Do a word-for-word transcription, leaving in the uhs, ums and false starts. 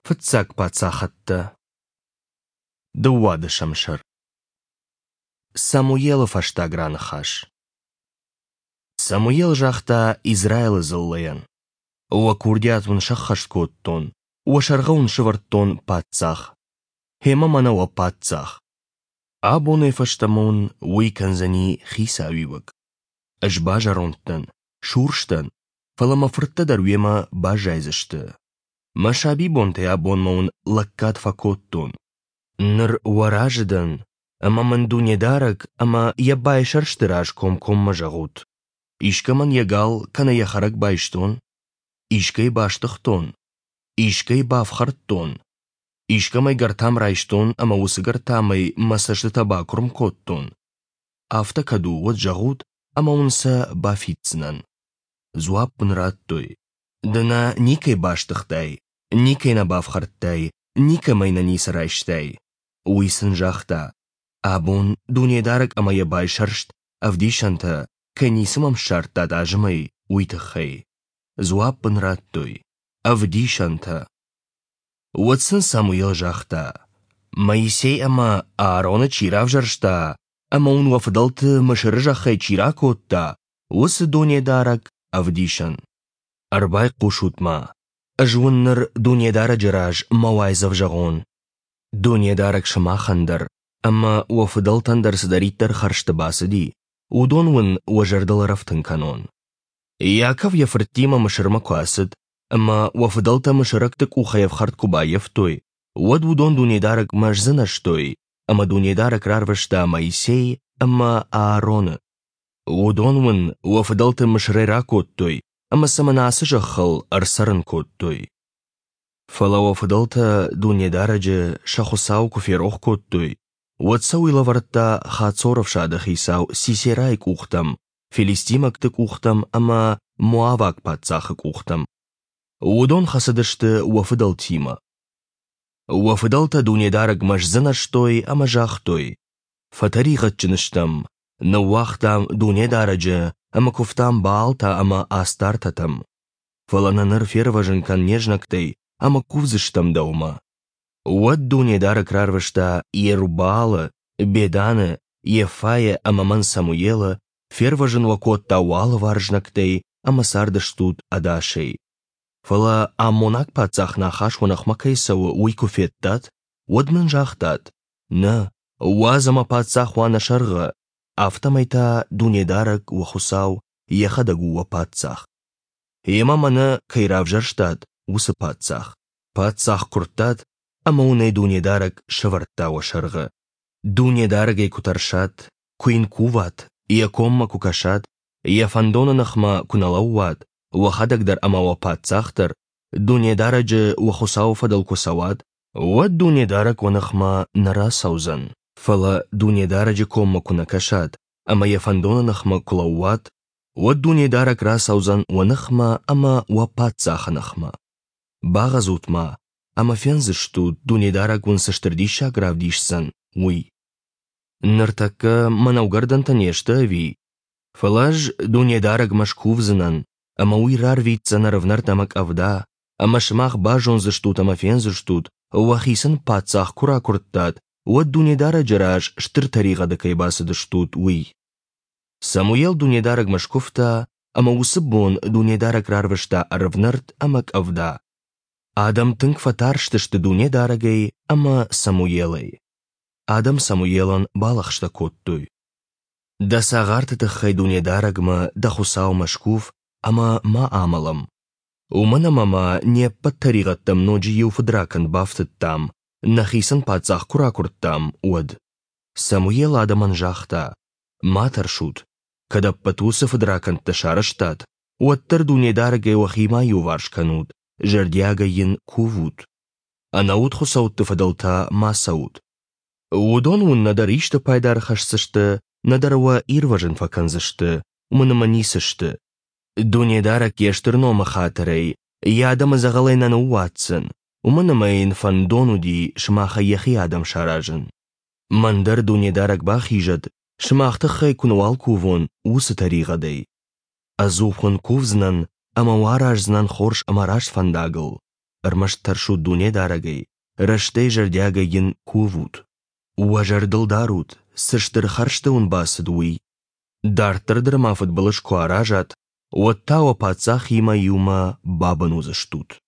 Фыццаг паддзахӕдтӕ. Дыууадӕсӕм сӕр. Самуелы фӕстаг раныхас. Самуел загъта Израилы дзыллӕйӕн: Уӕ курдиат уын сӕххӕст кодтон, уӕ сӕргъы уын сӕвӕрдтон паддзах. Гъемӕ мӕнӕ уӕ паддзах. Абонӕй фӕстӕмӕ уын уый кӕндзӕни хицауиуӕг. Ӕз базӕронд дӕн, сурс дӕн, фӕлӕ мӕ фырттӕ дӕр уемӕ баззайдзысты. Мӕ сабибонтӕй абонмӕ уын лӕггад фӕкодтон. Ныр уӕ разы дӕн, ӕмӕ мын Дунедарӕг ӕмӕ йӕ байсӕрсты раз комкоммӕ зӕгъут: искӕмӕн йӕ гал кӕнӕ йӕ хӕрӕг байстон, искӕй бастыгътон, искӕй бафхӕрдтон, искӕмӕй гӕртам райстон ӕмӕ уыцы гӕртамӕй мӕ цӕстытӕ бакуырм кодтон. Афтӕ кӕд у, уӕд зӕгъут, ӕмӕ уын сӕ бафиддзынӕн. Дзуапп ын радтой: Ды нӕ никӕй бастыгътай, никӕй нӕ бафхӕрдтай, никӕмӕй нӕ ницы райстай. Уый сын загъта: Абон Дунедарӕг ӕмӕ йӕ байсӕрст ӕвдисӕнтӕ, кӕй ницы мӕм ссардтат азымӕй, уый тыххӕй. Дзуапп ын радтой: Ӕвдисӕнтӕ. Уӕд сын Самуел загъта: Моисей ӕмӕ Аароны чи равзӕрста ӕмӕ уын уӕ фыдӕлты Мысыры зӕххӕй чи ракодта, уыцы Дунедарӕг ӕвдисӕн. Ӕрбайхъусут-ма, ӕз уын ныр Дунедарӕджы раз мӕ уайдзӕф зӕгъон. Дунедарӕг сымахӕн дӕр ӕмӕ уӕ фыдӕлтӕн дӕр цыдӕриддӕр хӕрзты бацыди, уыдон уын уӕ зӕрдыл ӕрӕфтын кӕнон. Иаков йӕ фырттимӕ Мысырмӕ куы ацыд ӕмӕ уӕ фыдӕлтӕ мысырӕгты къухӕй ӕфхӕрд куы баййӕфтой, уӕд уыдон Дунедарӕгмӕ сдзынӕзтой, ӕмӕ Дунедарӕг рарвыста Моисей ӕмӕ Аароны. Уыдон уын уӕ фыдӕлты Мысырӕй ракодтой ӕмӕ сӕ мӕнӕ ацы зӕххыл ӕрцӕрын кодтой. Фӕлӕ уӕ фыдӕлтӕ Дунедарӕджы сӕ Хуыцауы куы ферох кодтой, уӕд сӕ уый лӕвӕрдта Хацоры ӕфсады хицау Сисерайы къухтӕм, филистимӕгты къухтӕм ӕмӕ моаваг паддзахы къухтӕм. Уыдон хӕцыдысты уӕ фыдӕлтимӕ. Уӕ фыдӕлтӕ Дунедарӕгмӕ сдзынӕзтой ӕмӕ загътой: «Фӕтӕригъӕдджын стӕм, ныууагътам Дунедарӕджы ӕмӕ куывтам Баалтӕ ӕмӕ Астартӕтӕм. Фӕлӕ нӕ ныр фервӕзын кӕн не знӕгтӕй ӕмӕ кувдзыстӕм дӕумӕ». Уӕд Дунедарӕг рарвыста Иерубаалы, Беданы, Йеффайы ӕмӕ мӕн Самуелы, фервӕзын уӕ кодта уӕ алыварс знӕгтӕй ӕмӕ цардыстут ӕдасӕй. Фӕлӕ аммонаг паддзах Нахаш уӕ ныхмӕ кӕй цӕуы, уый куы федтат, уӕд нын загътат: «Нӕ, уадз ӕмӕ паддзах уа нӕ сӕргъы, афтӕмӕй та Дунедарӕг, уӕ Хуыцау, йӕхӕдӕг у уӕ паддзах. Йемӕ мӕнӕ кӕй равзӕрстат, уыцы паддзах. Паддзах куырдтат, ӕмӕ уын ӕй Дунедарӕг сӕвӕрдта уӕ сӕргъы. Дунедарӕгӕй куы тӕрсат, куы йын куват, йӕ коммӕ куы кӕсат, йӕ фӕндоны ныхмӕ куы нӕ лӕууат, уӕхӕдӕг дӕр ӕмӕ уӕ паддзах дӕр, Дунедарӕджы уӕ Хуыцауы фӕдыл куы цӕуат, уӕд Дунедарӕг уӕ ныхмӕ нӕ рацӕудзӕн. Фӕлӕ Дунедарӕджы коммӕ куы нӕ кӕсат ӕмӕ йӕ фӕндоны ныхмӕ куы лӕууат, уӕд Дунедарӕг рацӕудзӕн уӕ ныхмӕ ӕмӕ уӕ паддзахы ныхмӕ. Багъӕцут-ма, ӕмӕ фендзыстут, Дунедарӕг уын цы стыр диссаг равдисдзӕн, уый. Ныртӕккӕ мӕнӕугӕрдӕнтӕ не сты ӕви? Фӕлӕ ӕз Дунедарӕгмӕ скувдзынӕн, ӕмӕ уый рарвитдзӕн ӕрвнӕрд ӕмӕ къӕвда, ӕмӕ сымах базондзыстут ӕмӕ фендзыстут, уӕхицӕн паддзах куы ракуырдтат, уӕд Дунедарӕджы раз стыр тӕригъӕды кӕй бацыдыстут, уый. Самуел Дунедарӕгмӕ скуывта, ӕмӕ уыцы бон Дунедарӕг рарвыста ӕрвнӕрд ӕмӕ къӕвда. Адӕм тынг фӕтарстысты Дунедарӕгӕй ӕмӕ Самуелӕй. Адӕм Самуелӕн балӕгъстӕ кодтой: Дӕ цагъарты тыххӕй Дунедарӕгмӕ, дӕ Хуыцаумӕ скув, ӕмӕ ма амӕлӕм. Уымӕн ӕмӕ ма не ппӕт тӕригъӕдтӕм ноджы иу фыдракӕнд бафтыдтам, нӕхицӕн паддзах куы ракуырдтам, уӕд. Самуел адӕмӕн загъта: Ма тӕрсут, кӕд ӕппӕт уыцы фыдракӕндтӕ сарӕзтат, уӕддӕр Дунедарӕгӕй уӕхи ма иуварс кӕнут, зӕрдиагӕй йын кувут. Ӕнӕуд хуыцӕутты фӕдыл та ма цӕут. Уыдон уын нӕдӕр исты пайда ӕрхӕсдзысты, нӕдӕр уӕ ирвӕзын фӕкӕндзысты, уымӕн ӕмӕ ницы сты. Дунедарӕг йе стыр номы хатырӕй йӕ адӕмы дзӕгъӕлӕй нӕ ныууадздзӕн, уымӕн ӕмӕ йын фӕндон уыди сымахӕй йӕхи адӕм саразын. Мӕн дӕр Дунедарӕг бахизӕд, сымах тыххӕй куы нӕуал кувон, уыцы тӕригъӕдӕй. Ӕдзух уын кувдзынӕн ӕмӕ уӕ араздзынӕн хорз ӕмӕ раст фӕндагыл. Ӕрмӕст тӕрсут Дунедарӕгӕй, рӕстӕй зӕрдиагӕй Йын кувут. Уӕ зӕрдыл дарут, цы стыр хӕрзты уын бацыд, уый. Дарддӕр дӕр ма фыдбылыз куы аразат, уӕд та уӕ паддзахимӕ иумӕ бабын уыдзыстут.